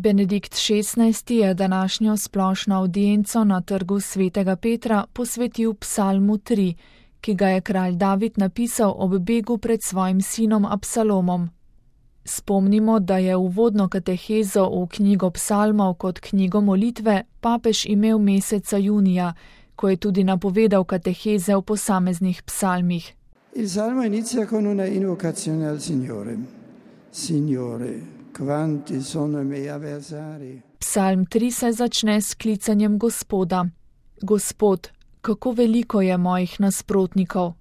Benedikt XVI. Je današnjo splošno avdienco na trgu Svetega Petra posvetil psalmu 3, ki ga je kralj David napisal ob begu pred svojim sinom Absalomom. Spomnimo, da je uvodno katehezo v knjigo psalmov kot knjigo molitve papež imel meseca junija, ko je tudi napovedal kateheze v posameznih psalmih. Il salmo inizia con una invocazione al Signore. Signore, quanti sono i miei avversari. Psalm 3 se začne s klicanjem Gospoda. Gospod, kako veliko je mojih nasprotnikov.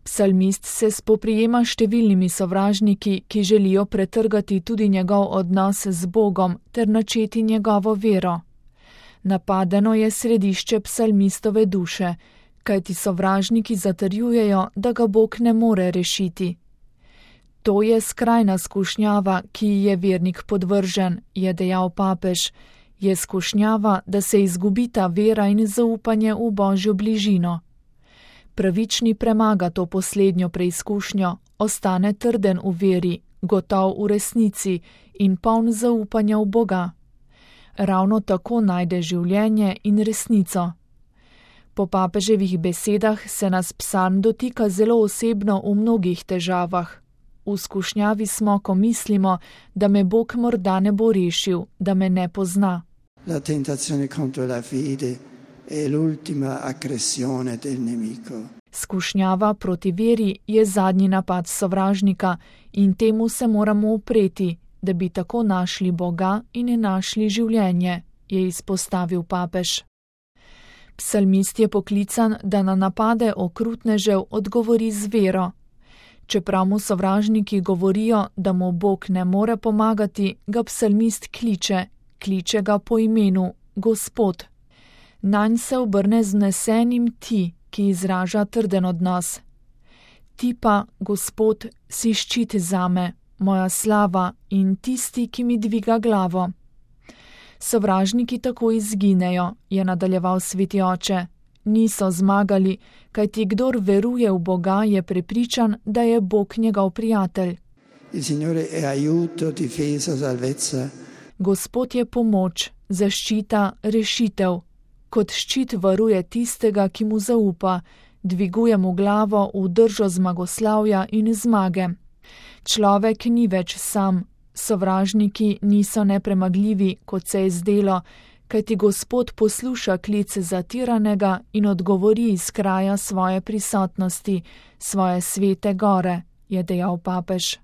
Psalmist se spoprijema številnimi sovražniki, ki želijo pretrgati tudi njegov odnos z Bogom ter načeti njegovo vero. Napadeno je središče psalmistove duše, kajti sovražniki zatrjujejo, da ga Bog ne more rešiti. To je skrajna skušnjava, ki ji je vernik podvržen, je dejal papež. Je skušnjava, da se izgubita vera in zaupanje v Božjo bližino. Pravični premaga to poslednjo preizkušnjo, ostane trden v veri, gotov v resnici in poln zaupanja v Boga. Ravno tako najde življenje in resnico. Po papeževih besedah se nas psalm dotika zelo osebno v mnogih težavah. V skušnjavi smo, ko mislimo, da me Bog morda ne bo rešil, da me ne pozna. La tentazione contro la fede è l'ultima aggressione del nemico. Skušnjava proti veri je zadnji napad sovražnika in temu se moramo upreti, da bi tako našli Boga in našli življenje, je izpostavil papež. Psalmist je poklican, da na napade okrutnežev odgovori z vero. Čeprav mu sovražniki govorijo, da mu Bog ne more pomagati, ga psalmist kliče ga po imenu Gospod. Nanj se obrne z vnesenim ti, ki izraža trden odnos. Ti pa, Gospod, si ščit zame, moja slava in tisti, ki mi dviga glavo. Sovražniki tako izginejo, je nadaljeval sveti oče. Niso zmagali, kajti kdor veruje v Boga, je prepričan, da je Bog njegov prijatelj. Il Signore è aiuto, difesa, salvezza. Gospod je pomoč, zaščita, rešitev. Kot ščit varuje tistega, ki mu zaupa, dviguje mu glavo v držo zmagoslavja in zmage. Človek ni več sam, sovražniki niso nepremagljivi, kot se je zdelo, kajti Gospod posluša klic zatiranega in odgovori iz kraja svoje prisotnosti, svoje svete gore, je dejal papež.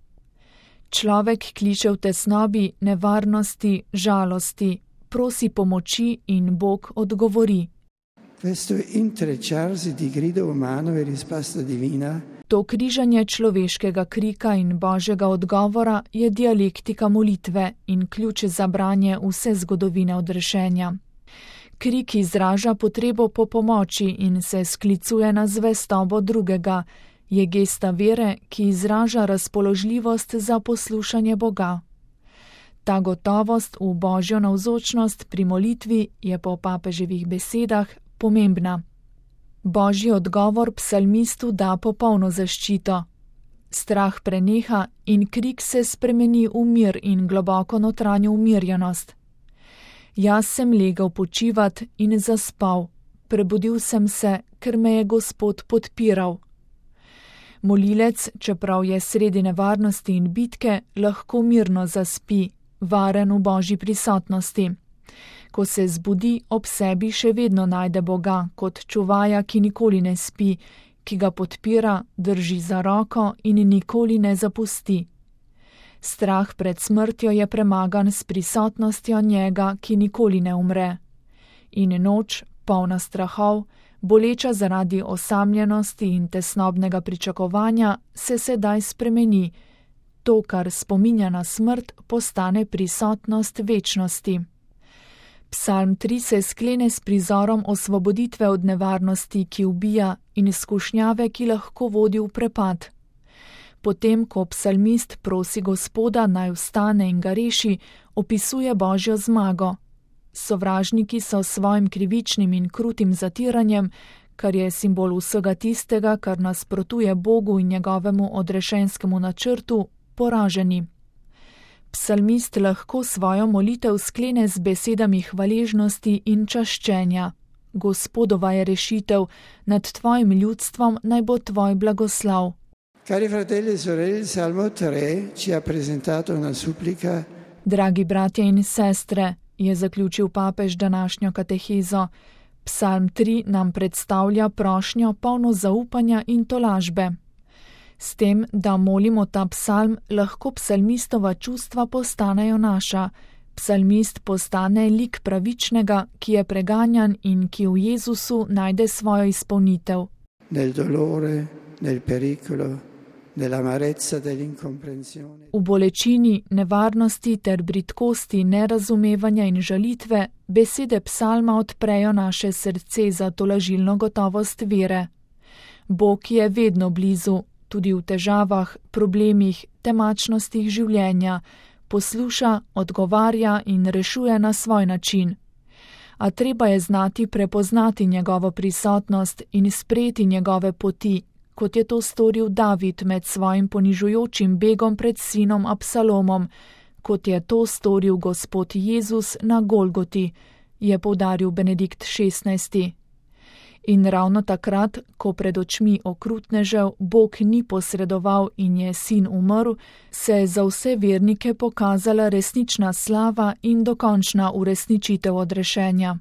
Človek kliče v tesnobi, nevarnosti, žalosti, prosi pomoči in Bog odgovori. Questo intrecciarsi di grido umano e risposta divina. To križanje človeškega krika in Božjega odgovora je dialektika molitve in ključ za branje vse zgodovine odrešenja. Krik izraža potrebo po pomoči in se sklicuje na zvestobo drugega, je gesta vere, ki izraža razpoložljivost za poslušanje Boga. Ta gotovost v Božjo navzočnost pri molitvi je po papeževih besedah pomembna. Božji odgovor psalmistu da popolno zaščito. Strah preneha in krik se spremeni v mir in globoko notranjo umirjenost. Jaz sem legel počivat in zaspal, prebudil sem se, ker me je Gospod podpiral. Molilec, čeprav je sredi nevarnosti in bitke, lahko mirno zaspi, varen v Božji prisotnosti. Ko se zbudi, ob sebi še vedno najde Boga kot čuvaja, ki nikoli ne spi, ki ga podpira, drži za roko in nikoli ne zapusti. Strah pred smrtjo je premagan s prisotnostjo njega, ki nikoli ne umre. In noč, polna strahov, boleča zaradi osamljenosti in tesnobnega pričakovanja, se sedaj spremeni. To, kar spominja na smrt, postane prisotnost večnosti. Psalm 3 se sklene s prizorom osvoboditve od nevarnosti, ki ubija, in skušnjave, ki lahko vodi v prepad. Potem, ko psalmist prosi Gospoda, naj vstane in ga reši, opisuje Božjo zmago. Sovražniki so s svojim krivičnim in krutim zatiranjem, kar je simbol vsega tistega, kar nasprotuje Bogu in njegovemu odrešenskemu načrtu, poraženi. Psalmist lahko svojo molitev sklene z besedami hvaležnosti in čaščenja. Gospodova je rešitev, nad tvojim ljudstvom naj bo tvoj blagoslov. Cari fratelli e sorelle, il Salmo 3 ci ha presentato una supplica. Dragi bratje in sestre, je zaključil papež današnjo katehezo. Psalm 3 nam predstavlja prošnjo polno zaupanja in tolažbe. S tem, da molimo ta psalm, lahko psalmistova čustva postanejo naša. Psalmist postane lik pravičnega, ki je preganjan in ki v Jezusu najde svojo izpolnitev. Nel dolore, nel pericolo, nell'amarezza dell'incomprensione. V bolečini, nevarnosti ter bridkosti nerazumevanja in žalitve besede psalma odprejo naše srce za tolažilno gotovost vere. Bog je vedno blizu, tudi v težavah, problemih, temačnostih življenja, posluša, odgovarja in rešuje na svoj način. A treba je znati prepoznati njegovo prisotnost in sprejeti njegove poti, kot je to storil David med svojim ponižujočim begom pred sinom Absalomom, kot je to storil Gospod Jezus na Golgoti, je poudaril Benedikt XVI. In ravno takrat, ko pred očmi okrutnežev Bog ni posredoval in je sin umrl, se je za vse vernike pokazala resnična slava in dokončna uresničitev odrešenja.